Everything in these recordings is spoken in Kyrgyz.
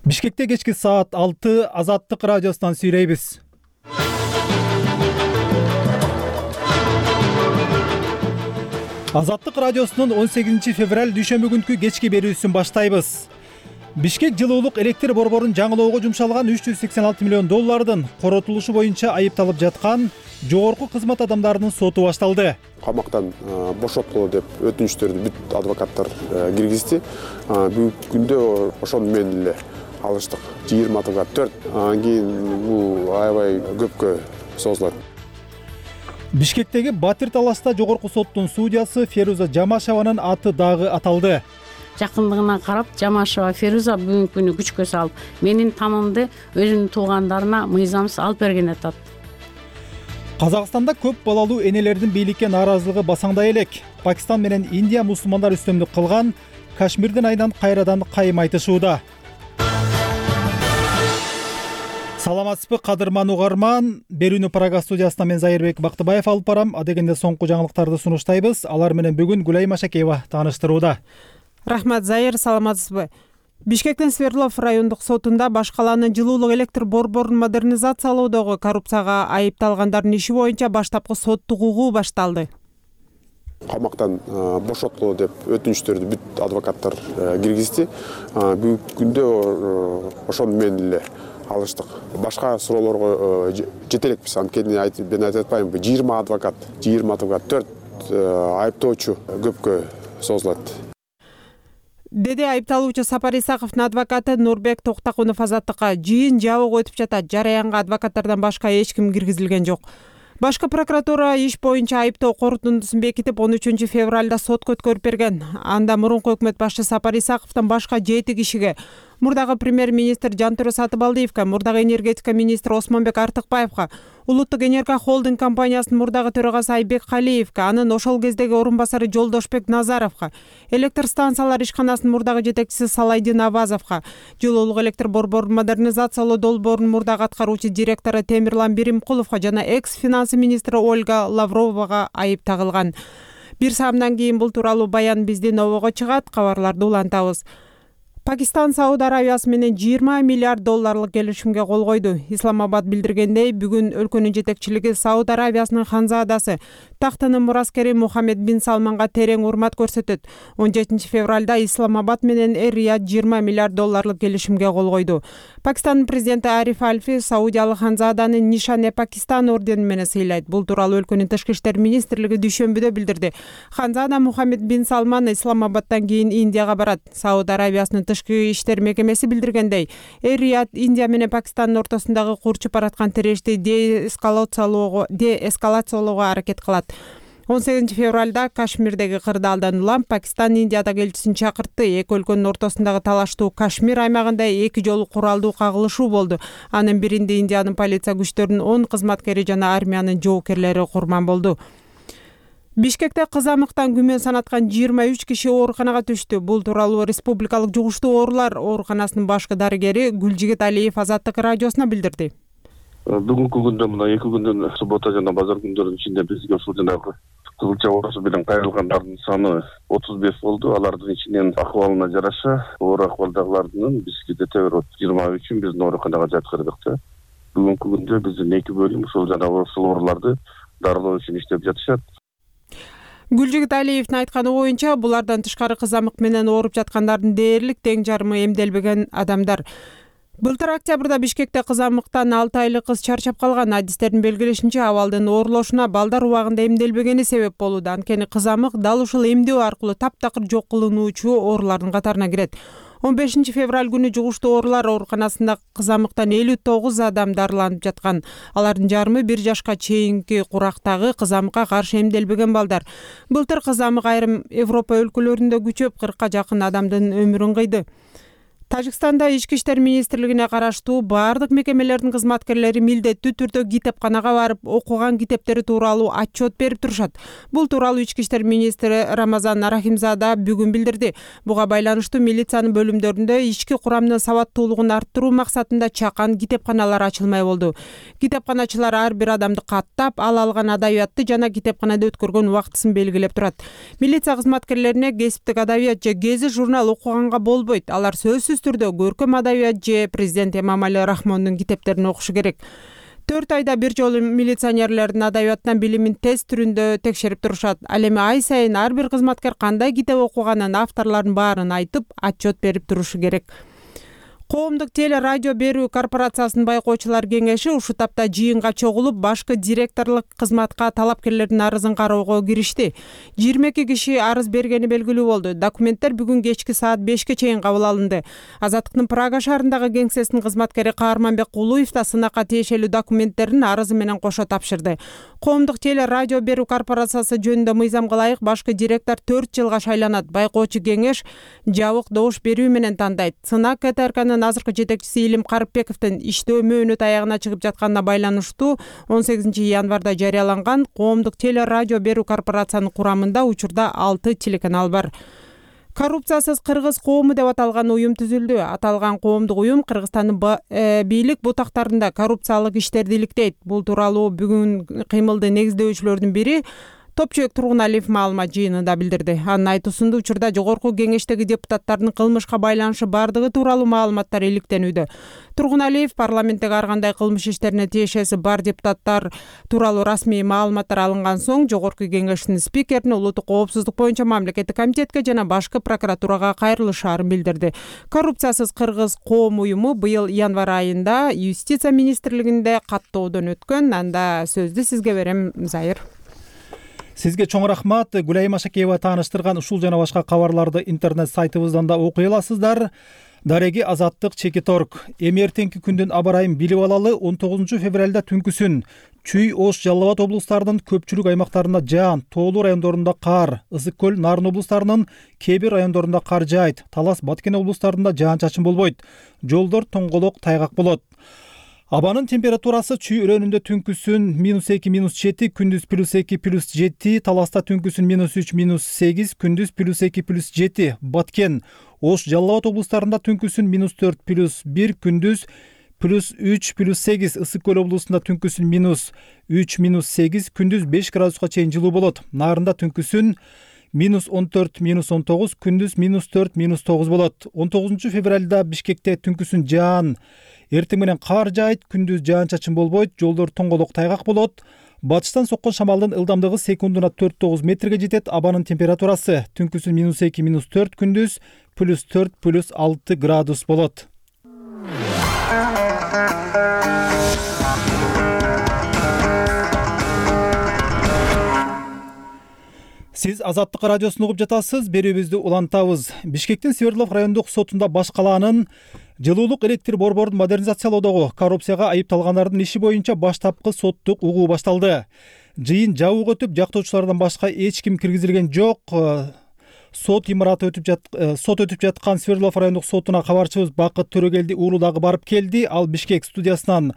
Бишкекте кечки саат 6 Азаттык радиосунан сүйлөйбүз. Азаттык радиосунун 18 февраль дүйшөмбү күнкү кечки берүүсүн баштайбыз. Бишкек жылуулук электр борборун жаңылоого жумшалган 386 миллион доллардын коротулушу боюнча айыпталып жаткан жогорку кызмат адамдарынын соту башталды. Камактан бошоткула деп өтүнүчтөрдү бүт адвокаттар киргизди. Бүгүнкү күндө ошону менен эле алыштык. 20-4. Анан кийин бул аябай көпкө созулат. Бишкектеги Батир таласта жогорку соттун судьясы Феруза Жамашеванын аты дагы аталды. Жакындыгына карап, Жамашева Феруза бүгүнкү күнү күчкө салып, менин танымды өзүнүн туугандарына мыйзамсыз алып берген атат. Казакстанда көп балалуу энелердин бийликке нааразылыгы басаңдай элек. Пакистан менен Индия мусулмандар үстөмдүк кылган Кашмирдин айынан кайрадан кайым айтышууда. Саламатсызбы кадырман угарман, берүүнү Прага студиясынан мен Зайырбек Бактыбаев алып барам. Адегенде соңку жаңылыктарды сунуштайбыз. Алар менен бүгүн Гүлай Машакеева тааныштырууда. Рахмат, Зайыр, саламатсызбы? Бишкектин Свердлов райондук сотунда баш калаанын жылуулук электр борборун модернизациялоодогу коррупцияга айыпталгандардын иши боюнча баштапкы соттук угуу башталды. Камактан бошоткула деп өтүнүчтөрдү бүт адвокаттар киргизди. Бүгүнкү күндө ошону менен эле алыштык. Башка суроолорго жете элекпиз. Анткени мен айтып атпаймынбы, 20 адвокат, 4 айыптоочу көпкө созулат. Деди айыпталуучу Сапар Исаковдун адвокаты Нурбек Токтакунов Азаттыкка. Жыйын жабык өтүп жатат. Жараянга адвокаттардан башка эч ким киргизилген жок. Башкы прокуратура иш боюнча айыптоо корутундусун бекитип 13 февралда сотко өткөрүп берген. Анда мурунку өкмөт башчы Сапар Исаковдон башка 7 кишиге, мурдагы премьер-министр Жантөрө Сатыбалдиевге, мурдагы энергетика министри Осмонбек Артыкбаевга, Улуттук энерго холдинг компаниясынын мурдагы төрагасы Айбек Калиевге, анын ошол кездеги орун басары Жолдошбек Назаровго, электр станциялар ишканасынын мурдагы жетекчиси Салайдин Абазовго, жылуулук электр борборун модернизациялоо долбоорунун мурдагы аткаруучу директору Темирлан Биримкуловго жана экс-финансы министри Ольга Лавровага айып тагылган. Бир саамдан кийин бул тууралуу баян биздин обого чыгат, кабарларды улантабыз. Пакистан Сауд Арабиясы менен 20 миллиард долларлык келишимге кол койду. Исламабад билдиргендей, бүгүн өлкөнүн жетекчилиги Сауд Арабиясынын ханзадасы, тактынын мураскери Мухаммед бин Салманга терең урмат көрсөтөт. 17 февралда Исламабад менен Эр-Рияд 20 миллиард долларлык келишимге кол койду. Пакистандын президенти Ариф Альфи саудиялык ханзаданы Нишан-e-Пакистан ордени менен сыйлайт. Бул тууралуу өлкөнүн тышкы иштер министрлиги дүйшөмбүдө билдирди. Ханзада Мухаммед бин Салман Исламабадтан кийин Индияга барат. Сауд Арабиясынын тышкы иштер мекемеси билдиргендей, Эр-Рияд Индия менен Пакистандын ортосундагы курчуп бараткан тирешти деэскалациялоого аракет кылат. 18 февралда Кашмирдеги кырдаалдан улам Пакистан Индиядагы элчисин чакыртты. Эки өлкөнүн ортосундагы талаштуу Кашмир аймагында 2 жолу куралдуу кагылышуу болду. Анын биринде Индиянын полиция күчтөрүнүн 10 кызматкери жана армиянын жоокерлери курман болду. Бишкекте кызамыктан күмөн санаткан 23 киши ооруканага түштү. Бул тууралуу Республикалык жугуштуу оорулар ооруканасынын башкы дарыгери Гүлжигит Алиев Азаттык радиосуна билдирди. Бүгүнкү күндө мына 2 күндүн суббота жана базар күндөрүнүн ичинде бизге ушул жанагы кызылча оорусу менен кайрылгандардын саны 35 болду. Алардын ичинен акыбалына жараша оор акыбалдагылардын бизге дете берип 23-үн биздин ооруканага жаткырдык да. Бүгүнкү күндө биздин 2 бөлүм ушул жанагы ооруларды дарылоо үчүн иштеп жатышат. Гүлжигит Алиевдин айтканы боюнча, булардан тышкары кызамык менен ооруп жаткандардын дээрлик тең жарымы эмделбеген адамдар. Былтыр октябрда Бишкекте кызамыктан 6 айлык кыз чарчап калган. Адистердин белгилешинче, абалдын оорлошуна балдар убагында эмделбегени себеп болууда. Анткени кызамык дал ушул эмдөө аркылуу таптакыр жок кылынуучу оорулардын катарына кирет. 15 февраль күнү жугуштуу оорулар ооруканасында кызамыктан 59 адам дарыланып жаткан. Алардын жарымы 1 жашка чейинки курактагы кызамыкка каршы эмделбеген балдар. Былтыр кызамык айрым Европа өлкөлөрүндө күчөп 40-ка жакын адамдын өмүрүн кыйды. Тажикстанда ички иштер министрлигине караштуу баардык мекемелердин кызматкерлери милдеттүү түрдө китепканага барып, окуган китептери тууралуу отчет берип турушат. Бул тууралуу ички иштер министри Рамазан Рахимзада бүгүн билдирди. Буга байланыштуу милициянын бөлүмдөрүндө ички курамдын сабаттуулугун арттыруу максатында чакан китепканалар ачылмай болду. Китепканачылар ар бир адамды каттап, ал алган адабиятты жана китепканада өткөргөн убактысын белгилеп турат. Милиция кызматкерлерине кесиптик адабият же гезит журнал окуганга болбойт. Алар сөзсүз түрдө көркөм адабият же президент Эмомали Рахмондун китептерин окушу керек. 4 айда бир жолу милиционерлердин адабиятынан билимин тест түрүндө текшерип турушат. Ал эми ай сайын ар бир кызматкер кандай китеп окуганын, авторлордун баарын айтып, отчет берип турушу керек. Коомдук теле радио берүү корпорациясынын байкоочулар кеңеши ушул тапта жыйынга чогулуп, башкы директорлук кызматка талапкерлердин арызын кароого киришти. 22 киши арыз бергени белгилүү болду. Документтер бүгүн кечки саат 5ке чейин кабыл алынды. Азаттыктын Прага шаарындагы кеңсесинин кызматкери Каарманбек Кулуев да сынакка тиешелүү документтерин арызы менен кошо тапшырды. Коомдук теле радио берүү корпорациясы жөнүндө мыйзамга ылайык башкы директор 4 жылга шайланат. Байкоочу кеңеш жабык добуш берүү менен тандайт. Сынак КТРКнын азыркы жетекчиси Илим Карыпбековдун иштөө мөөнөтү аягына чыгып жатканына байланыштуу 18 январда жарыяланган коомдук теле радио берүү корпорациянын курамында учурда 6 телеканал бар. Коррупциясыз кыргыз коому деп аталган уюм түзүлдү. Аталган коомдук уюм Кыргызстандын бийлик бутактарында коррупциялык иштерди иликтейт. Бул тууралуу бүгүн кыймылды негиздөөчүлөрдүн бири Топчубек Тургуналиев маалымат жыйынында билдирди. Анын айтуусунда учурда жогорку кеңештеги депутаттардын кылмышка байланышы бардыгы тууралуу маалыматтар иликтенүүдө. Тургуналиев парламенттеги ар кандай кылмыш иштерине тиешеси бар депутаттар тууралуу расмий маалыматтар алынган соң жогорку кеңештин спикерине улуттук коопсуздук боюнча мамлекеттик комитетке жана башкы прокуратурага кайрылышаарын билдирди. Коррупциясыз кыргыз коом уюму быйыл январь айында юстиция министрлигинде каттоодон өткөн. Анда сөздү сизге берем, Зайыр. Сизге чоң рахмат. Гүлайым Ашакеева тааныштырган ушул жана башка кабарларды интернет сайтыбыздан да окуй аласыздар. Дареги Азаттык Чекиторг. Эми эртеңки күндүн аба ырайын билип алалы. 19 февралда түнкүсүн Чүй, Ош, Жалал Абад облустарынын көпчүлүк аймактарында жаан, тоолуу райондорунда кар, Ысык көл, Нарын облустарынын кээ бир райондорунда кар жаайт. Талас, Баткен облустарында жаан-чачын болбойт. Жолдор тоңголок, тайгак болот. Абанын температурасы Чүй өрөөнүндө түнкүсүн -2, -7, күндүз +2, +7, Таласта түнкүсүн -3, -8, күндүз +2, +7, Баткен, Ош, Жалал Абад облустарында түнкүсүн -4, +1, күндүз +3, +8, Ысык көл облусунда түнкүсүн -3, -8, күндүз 5 градуска чейин жылуу болот. Нарында түнкүсүн -14, -19, күндүз -4, -9 болот. 19 февралда Бишкекте түнкүсүн жаан, эртең менен кар жаайт, күндүз жаан-чачын болбойт, жолдор тоңголок, тайгак болот. Батыштан соккон шамалдын ылдамдыгы секундуна 4-9 метрге жетет. Абанын температурасы түнкүсүн -2, -4, күндүз +4, +6 градус болот. Сиз Азаттык радиосун угуп жатасыз. Берүүбүздү улантабыз. Бишкектин Свердлов райондук сотунда баш калаанын жылуулук электр борборун модернизациялоодогу коррупцияга айыпталгандардын иши боюнча баштапкы соттук угуу башталды. Жыйын жабык өтүп, жактоочулардан башка эч ким киргизилген жок. Сот өтүп жаткан Свердлов райондук сотуна кабарчыбыз Бакыт Төрөгелди уулу дагы барып келди. Ал Бишкек студиясынан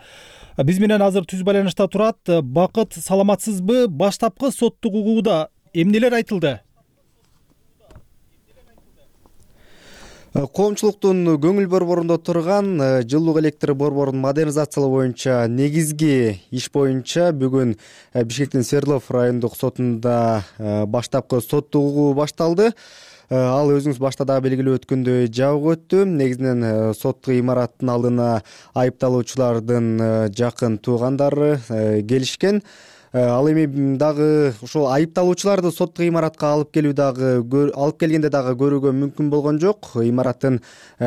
биз менен азыр түз байланышта турат. Бакыт, саламатсызбы? Баштапкы соттук угууда эмнелер айтылды? Коомчулуктун көңүл борборунда турган жылуулук электр борборун модернизациялоо боюнча негизги иш боюнча бүгүн Бишкектин Свердлов райондук сотунда баштапкы соттук угуу башталды. Ал өзүңүз башта дагы белгилеп өткөндөй жабык өттү. Негизинен соттук имараттын алдына айыпталуучулардын жакын туугандары келишкен. Ал эми дагы ошол айыпталуучуларды соттук имаратка алып келгенде дагы көрүүгө мүмкүн болгон жок. Имараттын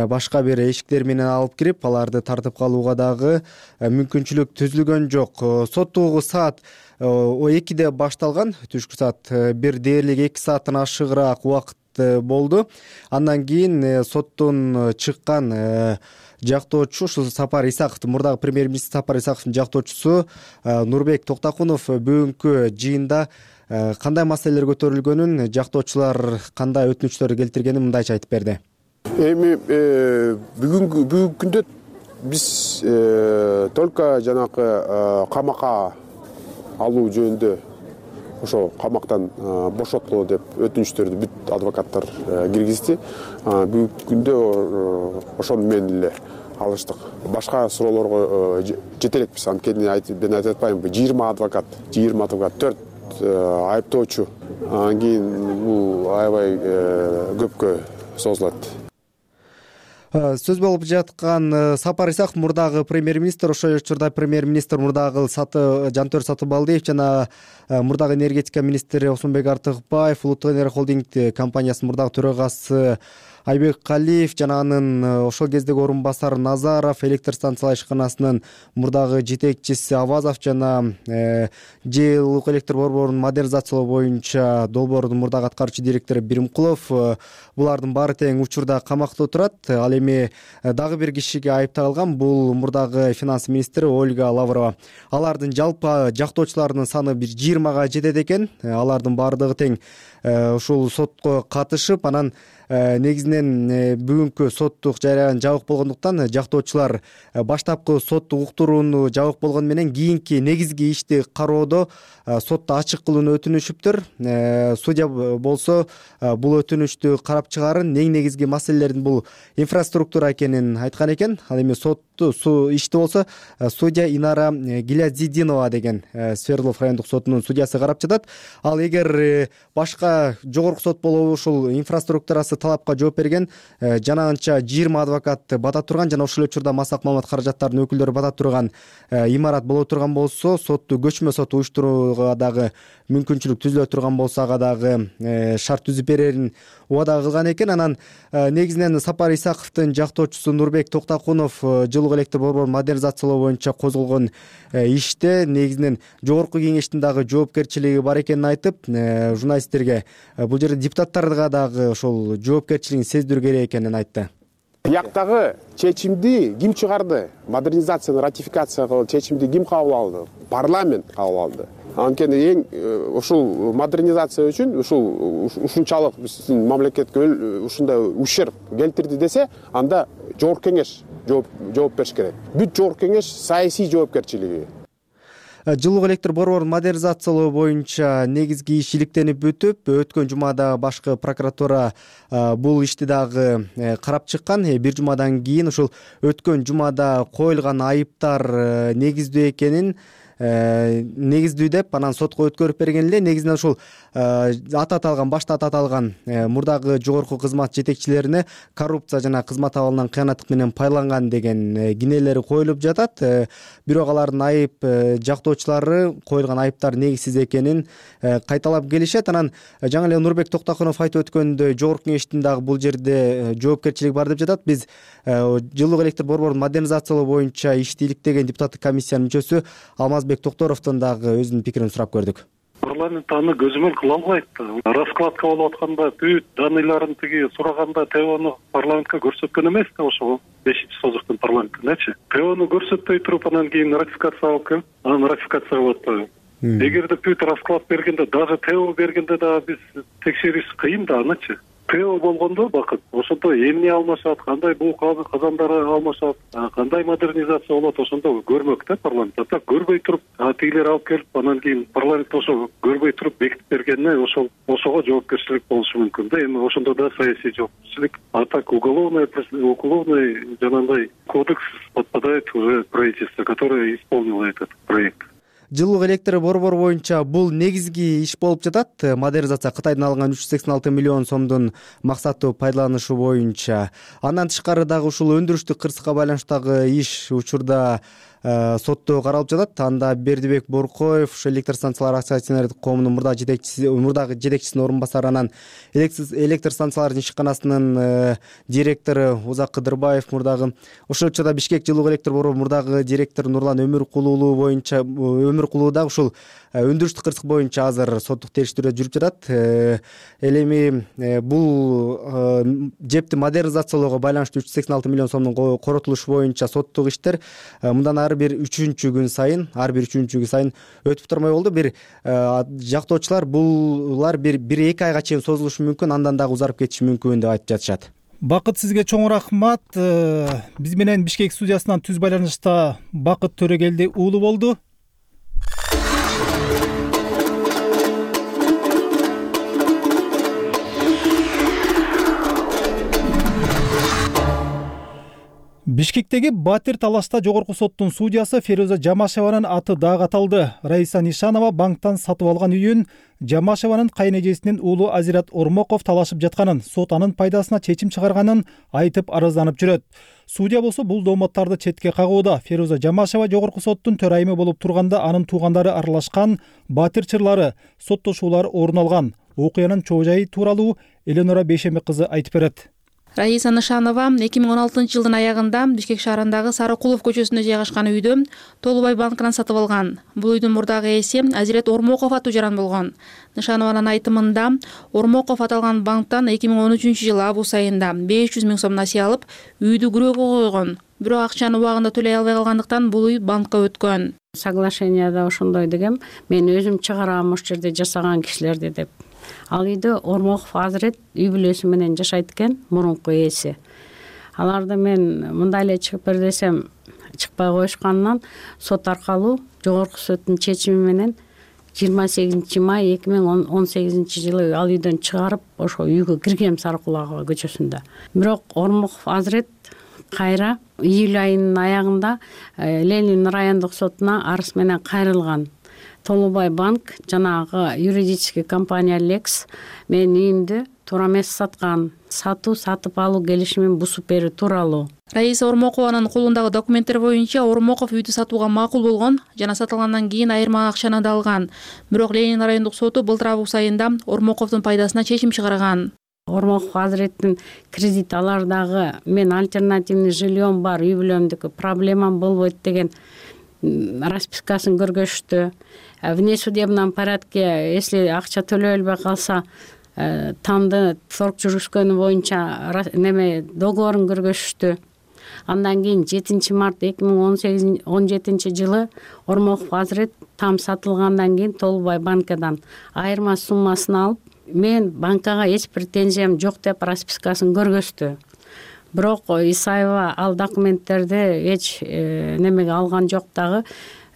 башка бир эшиктери менен алып кирип, аларды тартып калууга дагы мүмкүнчүлүк түзүлгөн жок. Соттук угуу саат 2-де башталган. Түшкү саат 1 дээрлик 2 сааттан ашыгыраак убакыт болду. Андан кийин соттон чыккан жактоочу ушул Сапар Исаковдун, мурдагы премьер-министр Сапар Исаковдун жактоочусу Нурбек Токтакунов бүгүнкү жыйында кандай маселелер көтөрүлгөнүн, жактоочулар кандай өтүнүчтөр келтиргенин мындайча айтып берди. Эми бүгүнкү күндө биз только жанагы камакка алуу жөнүндө ошо камактан бошоткула деп өтүнүчтөрдү бүт адвокаттар киргизди. Бүгүнкү күндө ошону менен эле алыштык. Башка суроолорго жете элекпиз. Анткени мен айтып атпаймынбы, 20 адвокат, 4 айыптоочу. Анан кийин бул аябай көпкө созулат. Сөз болуп жаткан Сапар Исаков мурдагы премьер-министр, ошол учурда премьер-министр мурдагы Жантөр Сатыбалдиев жана мурдагы энергетика министри Осмонбек Артыкбаев, Улуттук энергия холдинг компаниясынын мурдагы төрагасы Айбек Калиев жана анын ошол кездеги орун басары Назаров, электр станциялар ишканасынын мурдагы жетекчиси Авазов жана жылуулук электр борборунун модернизациялоо боюнча долбоордун мурдагы аткаруучу директору Биримкулов, булардын баары тең учурда камакта отурат. Ал эми дагы бир кишиге айып тагылган, бул мурдагы финанс министри Ольга Лаврова. Алардын жалпы жактоочуларынын саны бир 20га жетет экен. Алардын баардыгы тең ушул сотко катышып, анан негизинен бүгүнкү соттук жарыян жабык болгондуктан жактоочулар баштапкы соттук уктурууну жабык болгону менен кийинки негизги ишти кароодо сотто ачык кылууну өтүнүшүптүр. Судья болсо бул өтүнүштү карап чыгарын, эң негизги маселелердин бул инфраструктура экенин айткан экен. Ал эми ишти болсо судья Инара Гилязидинова деген Свердлов райондук сотунун судьясы карап жатат. Ал эгер башка жогорку сот болобу ушул инфраструктурасы талапка жооп берген, жанагынча 20 адвокат бата турган жана ошол учурда массак маалымат каражаттарынын өкүлдөрү бата турган имарат боло турган болсо, сотту көчмө сот уюштурууга дагы мүмкүнчүлүк түзүлө турган болсо, ага дагы шарт түзүп берерин убада кылган экен. Анан негизинен Сапар Исаковдун жактоочусу Нурбек Токтакунов жылуулук электр борборун модернизациялоо боюнча козголгон иште негизинен жогорку кеңештин дагы жоопкерчилиги бар экенин айтып, журналисттерге бул жерде депутаттарга дагы ошол жоопкерчилигин сездирүү керек экенин айтты. Бияктагы чечимди ким чыгарды? Модернизацияны ратификация кылып чечимди ким кабыл алды? Парламент кабыл алды. Анткени эң ушул модернизация үчүн ушунчалык биздин мамлекетке ушундай ущерб келтирди десе, анда жогорку кеңеш жооп бериш керек. Бүт жогорку кеңеш саясий жоопкерчилиги. Жылуулук электр борборун модернизациялоо боюнча негизги иш иликтенип бүтүп, өткөн жумада башкы прокуратура бул ишти дагы карап чыккан. Бир жумадан кийин ушул өткөн жумада коюлган айыптар негиздүү экенин негиздүү деп анан сотко өткөрүп берген эле. Негизинен ушул башта аты аталган мурдагы жогорку кызмат жетекчилерине коррупция жана кызмат абалынан кыянаттык менен пайдаланган деген кинелери коюлуп жатат. Бирок алардын айып жактоочулары коюлган айыптар негизсиз экенин кайталап келишет. Анан жаңы эле Нурбек Токтакунов айтып өткөндөй, жогорку кеңештин дагы бул жерде жоопкерчилиги бар деп жатат. Биз жылуулук электр борборун модернизациялоо боюнча ишти иликтеген депутаттык комиссиянын мүчөсү Алмазбек Токторовдон дагы өзүнүн пикирин сурап көрдүк. Парламент аны көзөмөл кыла албайт. Раскладка болуп атканда бүт даныйларын тиги сураганда ТОну парламентке көрсөткөн эмес да, ошол 5-созуктун парламентинечи. ТОну көрсөтпөй туруп анан кийин ратификация алып келип, анан ратификация кылып атпайбы? Эгерде бүт расклад бергенде, даже ТО бергенде да биз текшериш кыйын да анычы. ТО болгондо бакыт, ошондо эмне алмашат, кандай бул казандары алмашат, кандай модернизация болот, ошондо көрмөк да парламент. Так көрбөй туруп, тигилер алып келип, анан кийин парламент ошо көрбөй туруп бекитип бергенине ошого жоопкерчилик болушу мүмкүн да. Эми ошондо да саясий жоопкерчилик, а так уголовный жанагындай кодекс подпадает уже правительство, которое исполнило этот проект. Жылуулук электр борбору боюнча бул негизги иш болуп жатат. Модернизация Кытайдан алынган 386 миллион сомдун максаттуу пайдаланышы боюнча. Андан тышкары дагы ушул өндүрүштүк кырсыкка байланыштагы иш учурда сотто каралып жатат. Анда Бердибек Боркоев, электр станциялар акционердик коомунун мурдагы жетекчисинин орун басары, анан электр станциялардын ишканасынын директору Узак Кыдырбаев мурдагы, ошол учурда Бишкек жылуулук электр борбору мурдагы директору Нурлан Өмүркулуу дагы ушул өндүрүштүк кырсык боюнча азыр соттук териштирүү жүрүп жатат. Эми бул жепти модернизациялоого байланыштуу 386 миллион сомдун коротулушу боюнча соттук иштер мындан ар бир үчүнчү күн сайын өтүп турмай болду. Бир жактоочулар булар бир 2 айга чейин созулушу мүмкүн, андан дагы узарып кетиши мүмкүн деп айтып жатышат. Бакыт, сизге чоң рахмат. Биз менен Бишкек студиясынан түз байланышта Бакыт Төрөгелди уулу болду. Бишкектеги Батир талашта жогорку соттун судьясы Феруза Жамашеванын аты дагы аталды. Раиса Нишанова банктан сатып алган үйүн Жамашеванын кайнэжесинин уулу Азират Ормоков талашып жатканын, сот анын пайдасына чечим чыгарганын айтып арызданып жүрөт. Судья болсо бул доомоттарды четке кагууда. Феруза Жамашева жогорку соттун төрайымы болуп турганда анын туугандары аралашкан, Батир чырлары, соттошуулар орун алган. Окуянын чоо жайы тууралуу Эленора Бейшембек кызы айтып берет. Раиса Нишанова 2016 жылдын аягында Бишкек шаарындагы Сарыкулов көчөсүндө жайгашкан үйдү Толубай банкынан сатып алган. Бул үйдүн мурдагы ээси Азирет Ормоков аттуу жаран болгон. Нишанованын айтымында Ормоков аталган банктан 2013 жылы август айында 500 000 сом насыя алып, үйдү күрөөгө койгон. Бирок акчаны убагында төлөй албай калгандыктан бул үй банкка өткөн. Соглашенияда ошондой дегем, мен өзүм чыгарам ошол жерде жасаган кишилерди деп. Ал үйдө Ормоков Азирет үй бүлөсү менен жашайт экен, мурунку ээси. Аларды мен мындай эле чыгып бер десем чыкпай коюшканынан сот аркылуу жогорку соттун чечими менен 28 май 2018 жылы ал үйдөн чыгарып ошо үйгө киргем Сарыкулов көчөсүндө. Бирок Ормоков Азирет кайра июль айынын аягында Ленин райондук сотуна арыз менен кайрылган. Толубай банк жанагы юридический компания Лекс менин үйүмдү туура эмес саткан, сатып алуу келишимин бузуп берүү тууралуу. Раиса Ормокованын колундагы документтер боюнча Ормоков үйдү сатууга макул болгон жана сатылгандан кийин айырма акчаны да алган. Бирок Ленин райондук соту былтыр август айында Ормоковдун пайдасына чечим чыгарган. Ормоков Азиреттин кредит алардагы мен альтернативный жильем бар, үй бүлөмдүкү проблемам болбойт деген распискасын көргөзүштү. В внесудебном порядке, если акча төлөй албай калса, тамды торг жүргүзгөнү боюнча договорун көргөзүштү. Андан кийин 7 март 2017 жылы Ормоков Азирет там сатылгандан кийин Толубай банкадан айырма суммасын алып, мен банкага эч претензиям жок деп распискасын көргөздү. Бирок Исаева ал документтерди эч немеге алган жок дагы.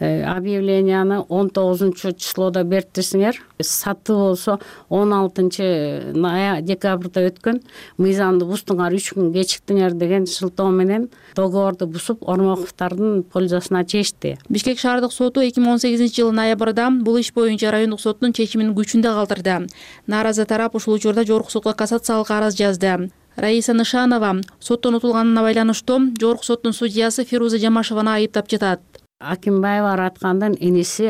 Объявленияны 19 числода бериптирсиңер. Сатуу болсо 16 декабрда өткөн. Мыйзамды буздуңар, 3 күн кечиктиңер деген шылтоо менен договорду бузуп Ормоковдордун пользосуна чечти. Бишкек шаардык соту 2018 жылы ноябрда бул иш боюнча райондук соттун чечимин күчүндө калтырды. Нааразы тарап ушул учурда жогорку сотко кассациялык арыз жазды. Раиса Нишанова соттон утулганына байланыштуу жогорку соттун судьясы Феруза Жамашеваны айыптап жатат. Акимбаева Араткандын иниси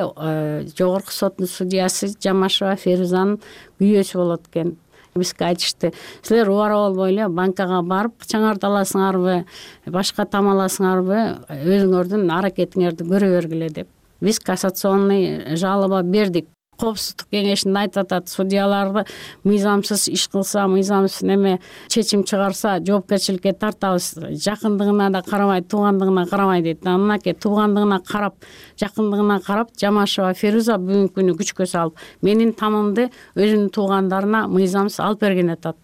жогорку соттун судьясы Жамашева Ферузанын күйөөсү болот экен. Бизге айтышты, силер убара болбой эле банкага барып акчаңарды аласыңарбы, башка там аласыңарбы, өзүңөрдүн аракетиңерди көрө бергиле деп. Биз кассационный жалоба бердик. Коопсуздук кеңешинде айтып атат, судьяларды мыйзамсыз иш кылса, мыйзамсыз чечим чыгарса жоопкерчиликке тартабыз. Жакындыгына да карабай, туугандыгына карабай дейт. Анакей туугандыгына карап, жакындыгына карап Жамашева Феруза бүгүнкү күнү күчкө салып, менин тамымды өзүнүн туугандарына мыйзамсыз алып берген атат.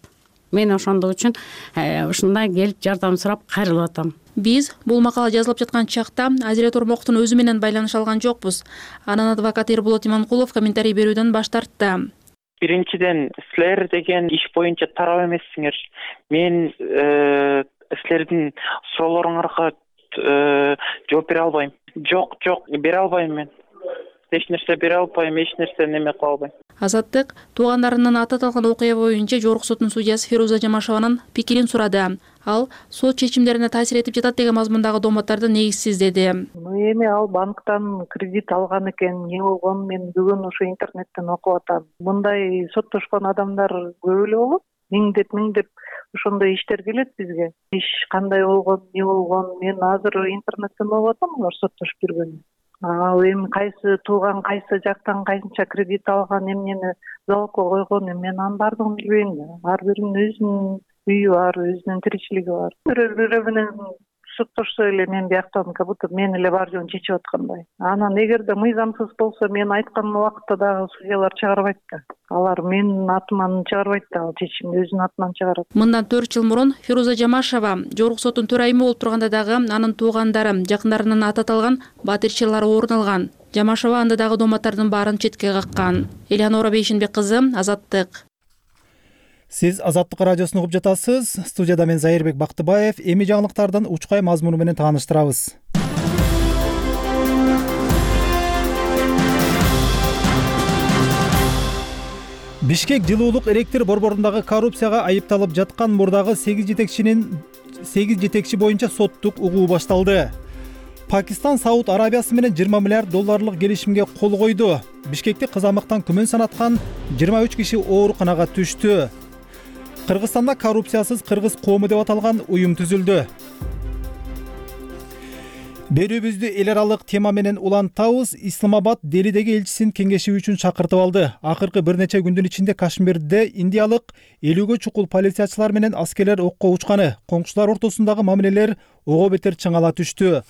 Мен ошондук үчүн ушундай келип жардам сурап кайрылып атам. Биз бул макала жазылып жаткан чакта Азирет Ормоковдун өзү менен байланыша алган жокпуз. Анын адвокаты Эрболот Иманкулов комментарий берүүдөн баш тартты. Биринчиден, силер деген иш боюнча тарап эмессиңер. Мен силердин суроолоруңарга жооп бере албайм. Жок, бере албайм мен. Эч нерсе бере албайм, эч нерсе неме кыла албайм. Азаттык туугандарынын аты аталган окуя боюнча жогорку соттун судьясы Феруза Жамашеванын пикирин сурады. Ал сот чечимдерине таасир этип жатат деген мазмундагы доомоттарды негизсиз деди. Эми ал банктан кредит алган экен, эмне болгон, мен бүгүн ушу интернеттен окуп атам. Мындай соттошкон адамдар көп эле болот. Миңдеп ошондой иштер келет бизге. Иш кандай болгон, эмне болгон, мен азыр интернеттен окуп атам, алар соттошуп жүргөн. Ал эми кайсы тууган, кайсы жактан кайсынча кредит алган, эмнени залогко койгон, мен анын баардыгын билбейм. Ар биринин өзүнүн үйү бар, өзүнүн тиричилиги бар. Бирөө менен соттошсо эле мен бияктан как будто мен эле бар жоон чечип аткандай. Анан эгерде мыйзамсыз болсо, мен айткан убакытта дагы судьялар чыгарбайт да. Алар менин атыман чыгарбайт да, ал чечимди өзүнүн атынан чыгарат. Мындан 4 жыл мурун Феруза Жамашева жогорку соттун төрайымы болуп турганда дагы анын туугандары, жакындарынын аты аталган Батир чырлары орун алган. Жамашева анда дагы доомоттардын баарын четке каккан. Эленора Бейшембек кызы, Азаттык. Сиз Азаттык радиосун угуп жатасыз. Студияда мен Зайырбек Бактыбаев. Эми жаңылыктардын учкай мазмуну менен тааныштырабыз. Бишкек жылуулук электр борборундагы коррупцияга айыпталып жаткан мурдагы 8 жетекчи боюнча соттук угуу башталды. Пакистан Сауд Арабиясы менен 20 миллиард долларлык келишимге кол койду. Бишкекте кызамыктан күмөн санаткан 23 киши ооруканага түштү. Кыргызстанда коррупциясыз кыргыз коому деп аталган уюм түзүлдү. Берүүбүздү эл аралык тема менен улантабыз. Исламабад Делидеги элчисин кеңешүү үчүн чакыртып алды. Акыркы бир нече күндүн ичинде Кашмирде индиялык 50гө чукул полициячылар менен аскерлер окко учканы. Коңшулар ортосундагы мамилелер ого бетер чыңала түштү.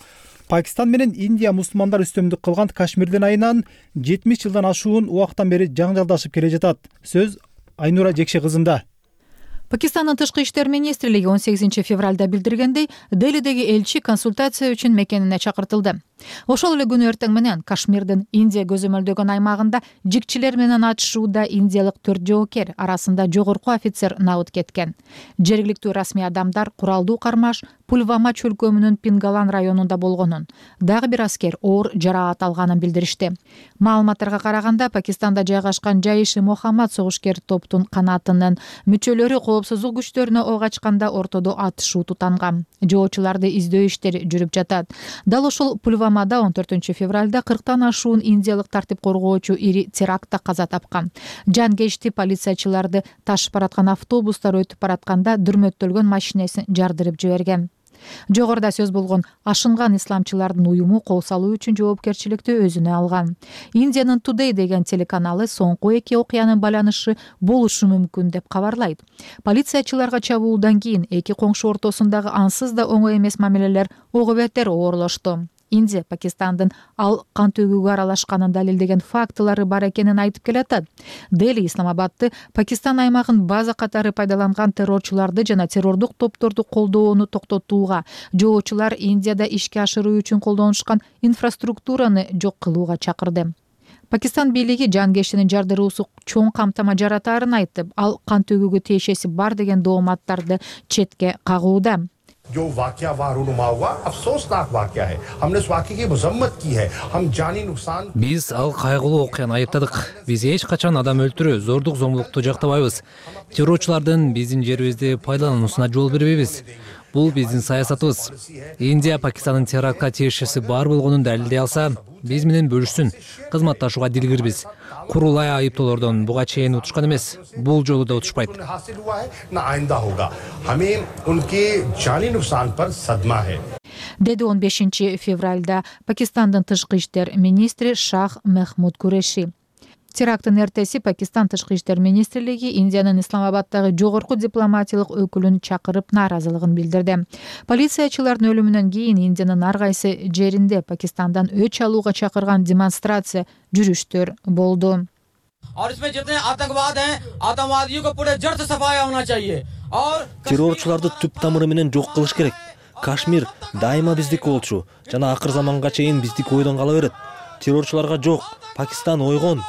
Пакистан менен Индия мусулмандар үстөмдүк кылган Кашмирдин айынан 70 жылдан ашуун убактан бери жаңжалдашып келе жатат. Сөз Айнура Жекше кызында. Пакистандын тышкы иштер министрлиги 18 февралда билдиргендей, Делидеги элчи консультация үчүн мекенине чакыртылды. Ошол эле күнү эртең менен Кашмирдин Индия көзөмөлдөгөн аймагында жикчилер менен атышууда индиялык 4 жоокер арасында жогорку офицер набыт кеткен. Жергиликтүү расмий адамдар куралдуу кармаш Пульвама чөлкөмүнүн Пингалан районунда болгонун, дагы бир аскер оор жараат алганын билдиришти. Маалыматтарга караганда, Пакистанда жайгашкан Жайши Мохаммад согушкер топтун канатынын мүчөлөрү коопсуздук күчтөрүнө ок ачканда ортодо атышуу тутанган. Жоочуларды издөө иштери жүрүп жатат. Дал ошол Пульвамада 14 февралда 40тан ашуун индиялык тартип коргоочу ири терактта каза тапкан. Жангечти полициячыларды ташып бараткан автобустар өтүп баратканда дүрмөттөлгөн машинесин жардырып жиберген. Жогоруда сөз болгон ашынган исламчылардын уюму кол салуу үчүн жоопкерчиликти өзүнө алган. Индиянын Today деген телеканалы соңку эки окуянын байланышы болушу мүмкүн деп кабарлайт. Полициячыларга чабуулдан кийин эки коңшу ортосундагы ансыз да оңой эмес мамилелер ого бетер оорлошту. Индия Пакистандын ал кан төгүүгө аралашканын далилдеген фактылары бар экенин айтып келатат. Дели Исламабадды Пакистан аймагын база катары пайдаланган террорчуларды жана террордук топторду колдоону токтотууга, жоочулар Индияда ишке ашыруу үчүн колдонушкан инфраструктураны жок кылууга чакырды. Пакистан бийлиги жангештинин жардыруусу чоң камтама жаратаарын айтып, ал кан төгүүгө тиешеси бар деген дооматтарды четке кагууда. जो वाकया वहाँ रूनुमा हुआ अफसोसनाक वाकया है हमने उस वाकये की मजम्मत की है हम जानी नुकसान Биз ал кайгылуу окуяны айыптадык. Биз эч качан адам өлтүрүү, зордук зомбулукту жактабайбыз. Террорчулардын биздин жерибизди пайдалануусуна жол бербейбиз. Бул биздин саясатыбыз. Индия Пакистандын терактка тиешеси бар болгонун далилдей алса, биз менен бөлүшсүн. Кызматташууга дилгирбиз. Курулай айыптоолордон буга чейин утушкан эмес. Бул жолу да утушпайт. Деди 15 февралда Пакистандын тышкы иштер министри Шах Мехмуд Куреши. Теракттын эртеси Пакистан тышкы иштер министрлиги Индиянын Исламабаддагы жогорку дипломатиялык өкүлүн чакырып нааразылыгын билдирди. Полициячылардын өлүмүнөн кийин Индиянын ар кайсы жеринде Пакистандан өч алууга чакырган демонстрация, жүрүштөр болду. Террорчуларды түп тамыры менен жок кылыш керек. Кашмир дайыма биздики болчу жана акыр заманга чейин биздики ойдон кала берет. Террорчуларга жок, Пакистан ойгон.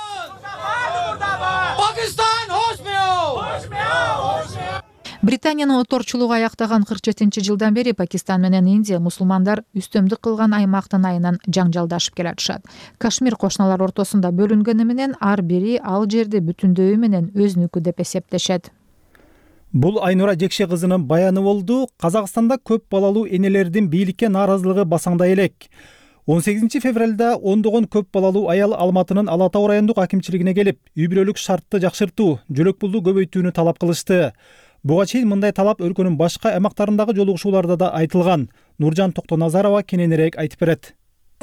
Британиянын оторчулугу аяктаган 47-жылдан бери Пакистан менен Индия мусулмандар үстөмдүк кылган аймактын айынан жаңжалдашып келатышат. Кашмир кошуналар ортосунда бөлүнгөнү менен ар бири ал жерди бүтүндөйү менен өзүнүкү деп эсептешет. Бул Айнура Жекше кызынын баяны болду. Казакстанда көп балалуу энелердин бийликке нааразылыгы басаңдай элек. 18 февралда ондогон көп балалуу аял Алматынын Ала Тоо райондук акимчилигине келип, үй бүлөлүк шартты жакшыртуу, жөлөк пулду көбөйтүүнү талап кылышты. Буга чейин мындай талап өлкөнүн башка аймактарындагы жолугушууларда да айтылган. Нуржан Токтоназарова кененирээк айтып берет.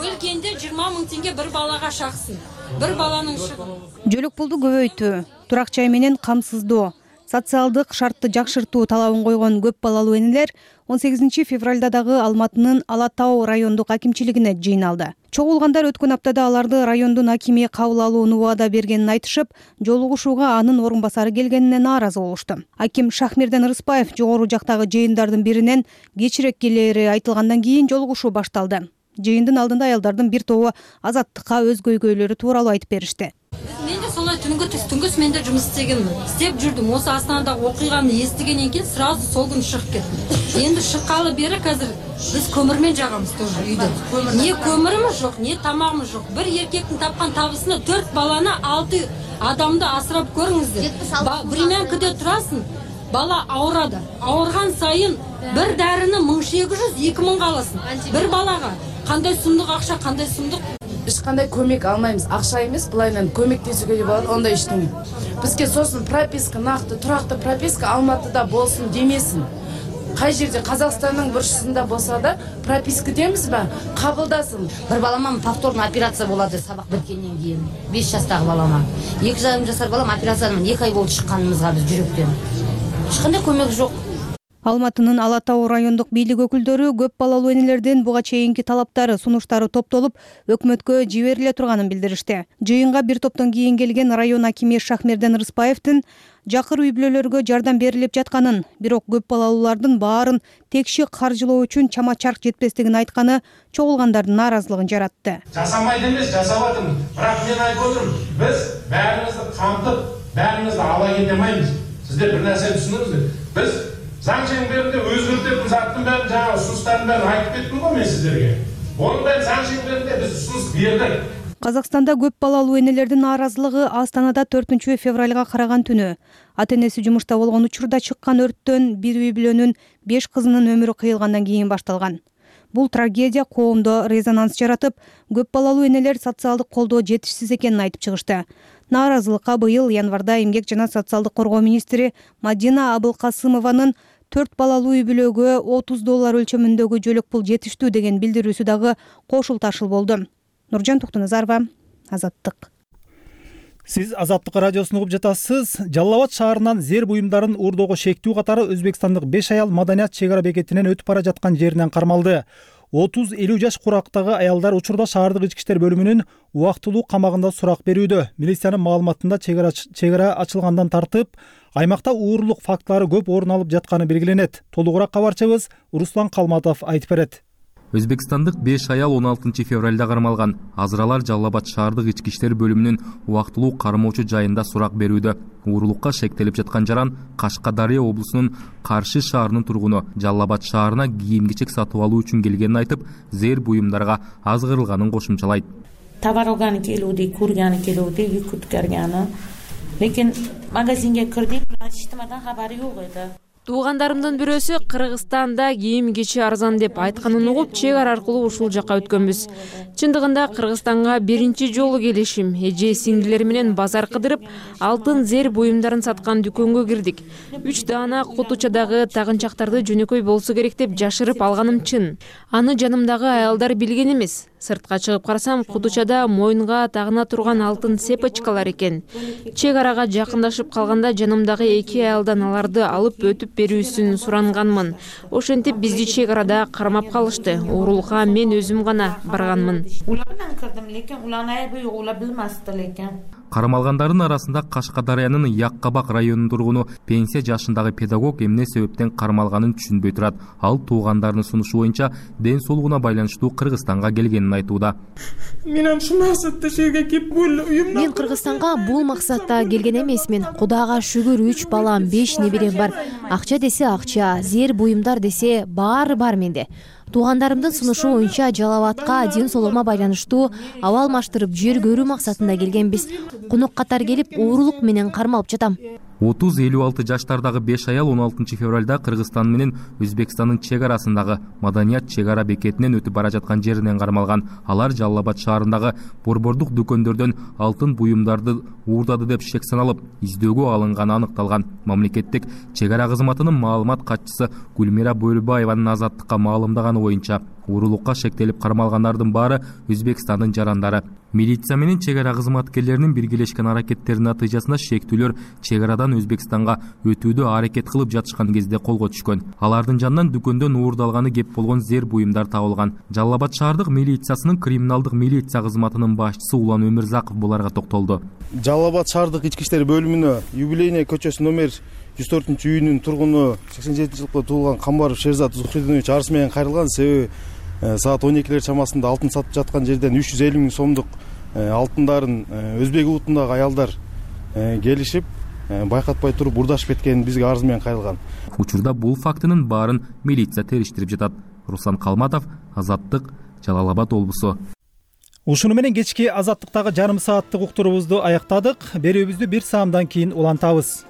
Өлкөндө 20 000 теңге бир балага шаксын. Бир баланын шығыны. Жөлөк пулду көбөйтүү, турак жай менен камсыздоо, социалдык шартты жакшыртуу талабын койгон көп балалуу энелер 18 февралда дагы Алматынын Ала Тоо райондук акимчилигине жыйналды. Чогулгандар өткөн аптада аларды райондун акими кабыл алууну убада бергенин айтышып, жолугушууга анын орун басары келгенине нааразы болушту. Аким Шахмирден Рыспаев жогору жактагы жыйындардын биринен кечирээк келери айтылгандан кийин жолугушуу башталды. Жыйындын алдында аялдардын бир тобу азаттыкка өз көйгөйлөрү тууралуу айтып беришти. Мен де солай түнгөс мен да жумус истегенмин. Истеп жүрдүм. Осы Астанадагы окуйганы эстегенден кийин сразу сол күнү чыгып кеттим. Энди шыккалы бери азыр биз көмүрмен жагабыз тоже үйдө. Не көмүрүмүз жок, не тамагыбыз жок. Бир эркектин тапкан табысына 4 баланы 6 адамды асырап көрүңүздөр. Времянкада турасың, бала ауырады. Ауырган сайын бир дарыны 1800-2000 аласың. Бир балага кандай сумдук акча, кандай сумдук. Эч кандай көмөк алмайбыз. Акча эмес, булайынан көмөктөшүүгө болот, ондай иштеме. Бизге сосын прописка, накты, турактуу прописка Алматыда болсун демесин. Кай жерде Казакстандын бурчусунда болсо да прописка демизби? Кабылдасын. Бир балама повторный операция болот, сабак биткенден кийин. 5 жаштагы балама. 2,5 жашар балам операциядан 2 ай болуп чыкканыбызга биз жүрөктөн. Эч кандай көмөк жок. Алматынын Ала Тоо райондук бийлик өкүлдөрү көп балалуу энелердин буга чейинки талаптары, сунуштары топтолуп, өкмөткө жибериле турганын билдиришти. Жыйынга бир топтон кийин келген район акими Шахмерден Рыспаевдин жакыр үй бүлөлөргө жардам берилип жатканын, бирок көп балалуулардын баарын текши каржылоо үчүн чама-чарк жетпестигин айтканы чогулгандардын нааразылыгын жаратты. Жасамайт эмес, жасап атам. Бирок мен айтып отурмун, биз баарыбызды камтып, баарыбызды ала кете алмайбыз. Сиздер бир нерсе түшүнүңүздөр. Биз заң шеңберинде өзгөртөп заттын баарын жаңа ұсыныстардын баарын айтып кеттим го мен сиздерге. Онун баарын заң шеңберинде биз ұсыныс бердик. Казакстанда көп балалуу энелердин нааразылыгы Астанада 4 февралга караган түнү ата-энеси жумушта болгон учурда чыккан өрттөн бир үй бүлөнүн 5 кызынын өмүрү кыйылгандан кийин башталган. Бул трагедия коомдо резонанс жаратып, көп балалуу энелер социалдык колдоо жетишсиз экенин айтып чыгышты. Нааразылыкка быйыл январда эмгек жана социалдык коргоо министри Мадина Абылкасымованын 4 балалуу үй бүлөгө $30 өлчөмүндөгү жөлөк пул жетиштүү деген билдирүүсү дагы кошул ташыл болду. Нуржан Токтоназарова, Азаттык. Сиз Азаттык радиосун угуп жатасыз. Жалал Абад шаарынан зер буюмдарын уурдоого шектүү катары өзбекстандык 5 аял маданият чек ара бекетинен өтүп бара жаткан жеринен кармалды. 30-50 жаш курактагы аялдар учурда шаардык ички иштер бөлүмүнүн убактылуу камагында сурак берүүдө. Милициянын маалыматында чек ара ачылгандан тартып, аймакта уурулук фактылары көп орун алып жатканы белгиленет. Толугураак кабарчыбыз Руслан Калматов айтып берет. Өзбекстандык 5 аял 16 февралда кармалган. Азыралар Жалал Абад шаардык ички иштер бөлүмүнүн убактылуу кармоочу жайында сурак берүүдө. Уурулукка шектелип жаткан жаран Кашкадария облусунун Каршы шаарынын тургуну. Жалал Абад шаарына кийим-кечек сатып алуу үчүн келгенин айтып, зер буюмдарга азгырылганын кошумчалайт. Товар алганы келүүдү, көргөнү келүүдү, үй күткөргөнү. Лекин магазинге кирдик, ачтымадан хабары жок эди. Туугандарымдын бирөөсү Кыргызстанда кийим-кечи арзан деп айтканын угуп, чек ара аркылуу ушул жакка өткөнбүз. Чындыгында Кыргызстанга биринчи жолу келишим. Эже сиңдилер менен базар кыдырып, алтын зер буюмдарын саткан дүкөнгө кирдик. 3 даана кутучадагы тагынчактарды жөнөкөй болсо керек деп жашырып алганым чын. Аны жанымдагы аялдар билген эмес. Сыртка чыгып карасам, кутучада моюнга тагына турган алтын цепочкалар экен. Чек арага жакындашып калганда жанымдагы 2 аялдан аларды алып өтүп берүүсүн суранганмын. Ошентип бизди чек арада кармап калышты. Уурулукка мен өзүм гана барганмын. Улар менен кирдим, лекин уларны айбы улар билмести лекин. Кармалгандардын арасында Кашкадариянын Яккабак районунун тургуну пенсия жашындагы педагог эмне себептен кармалганын түшүнбөй турат. Ал туугандарынын сунушу боюнча ден соолугуна байланыштуу Кыргызстанга келгенин айтууда. Мен ушул максатта жерге келип уюмдан. Мен Кыргызстанга бул максатта келген эмесмин. Кудайга шүгүр 3 балам, 5 неберем бар. Акча десе акча, зер буюмдар десе баары бар менде. Туугандарымдын сунушу боюнча Жалал Абадка ден соолугума байланыштуу аба алмаштырып жер көрүү максатында келгенбиз. Конок катар келип уурулук менен кармалып жатам. 30-56 жаштардагы 5 аял 16 февралда Кыргызстан менен Өзбекстандын чек арасындагы маданият чек ара бекетинен өтүп бара жаткан жеринен кармалган. Алар Жалал Абад шаарындагы борбордук дүкөндөрдөн алтын буюмдарды уурдады деп шек саналып, издөөгө алынганы аныкталган. Мамлекеттик чек ара кызматынын маалымат катчысы Гүлмира Бөлбаеванын Азаттыкка маалымдаганы боюнча, уурулукка шектелип кармалгандардын баары Өзбекстандын жарандары. Милиция менен чек ара кызматкерлеринин биргелешкен аракеттеринин натыйжасында шектүүлөр чек арадан Өзбекстанга өтүүдө аракет кылып жатышкан кезде колго түшкөн. Алардын жанынан дүкөндөн уурдалганы кеп болгон зер буюмдар табылган. Жалал Абад шаардык милициясынын криминалдык милиция кызматынын башчысы Улан Өмүрзаков буларга токтолду. Жалал Абад шаардык ички иштер бөлүмүнө юбилейный көчөсү номер 104-үйүнүн тургуну 87-жылкы туулган Камбаров Шерзат Зухридинович арыз менен кайрылган. Себеби саат 12 чамасында алтын сатып жаткан жерден 350 000 сомдук алтындарын өзбек улутундагы аялдар келишип байкатпай туруп урдашып кеткенин бизге арыз менен кайрылган. Учурда бул фактынын баарын милиция териштирип жатат. Руслан Калматов, Азаттык, Жалал Абад облусу. Ушуну менен кечки Азаттыктагы жарым сааттык уктуруубузду аяктадык. Берүүбүздү 1 саамдан кийин улантабыз.